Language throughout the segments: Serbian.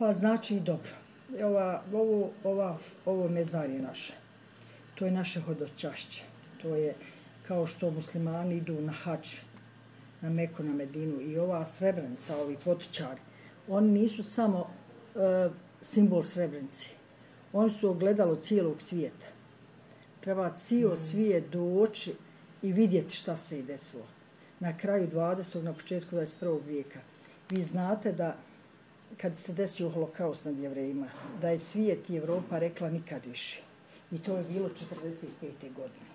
Pa znači dobro. Ovo mezarje naše. To je naše hodočašće. To je kao što muslimani idu na hadž, na Meku, na Medinu. I ova Srebrenica, ovi potočari, oni nisu samo simbol Srebrenici. Oni su ogledalo cijelog svijeta. Treba cijel svijet doći i vidjeti šta se je desilo. Na kraju 20. na početku 21. vijeka. Vi znate da kad se desio holokaust nad Jevrejima, da je svijet i Evropa rekla nikad više. I to je bilo 45. godine.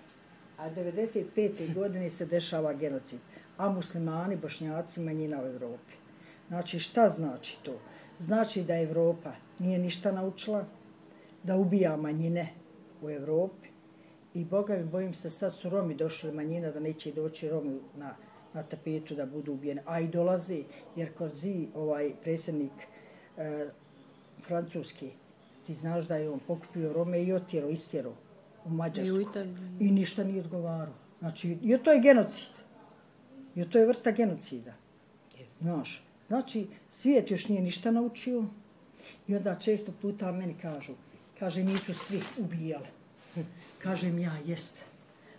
A 95. godine se dešava genocid. A muslimani, bošnjaci, manjina u Evropi. Znači šta znači to? Znači da Evropa nije ništa naučila, da ubija manjine u Evropi. I Boga mi, bojim se, sad su Romi došli manjina, da neće doći Romi na tapetu da budu ubijeni. A i dolazi, jer Korzi, predsjednik francuski, ti znaš da je on pokupio Rome i istjerao u Mađarsku. I ništa nije odgovarao. Znači, i to je genocid. I to je vrsta genocida. Znaš, znači, svijet još nije ništa naučio. I onda često puta meni kaže, nisu svi ubijali. Kažem ja, jeste.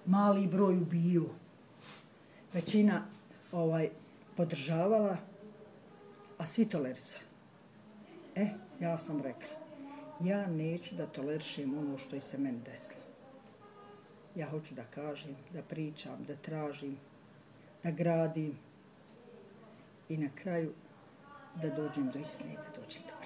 Mali broj ubiju. Većina podržavala, a svi tolerisali. Ja sam rekla, ja neću da tolerišem ono što je se meni desilo. Ja hoću da kažem, da pričam, da tražim, da gradim i na kraju da dođem do istine i da dođem do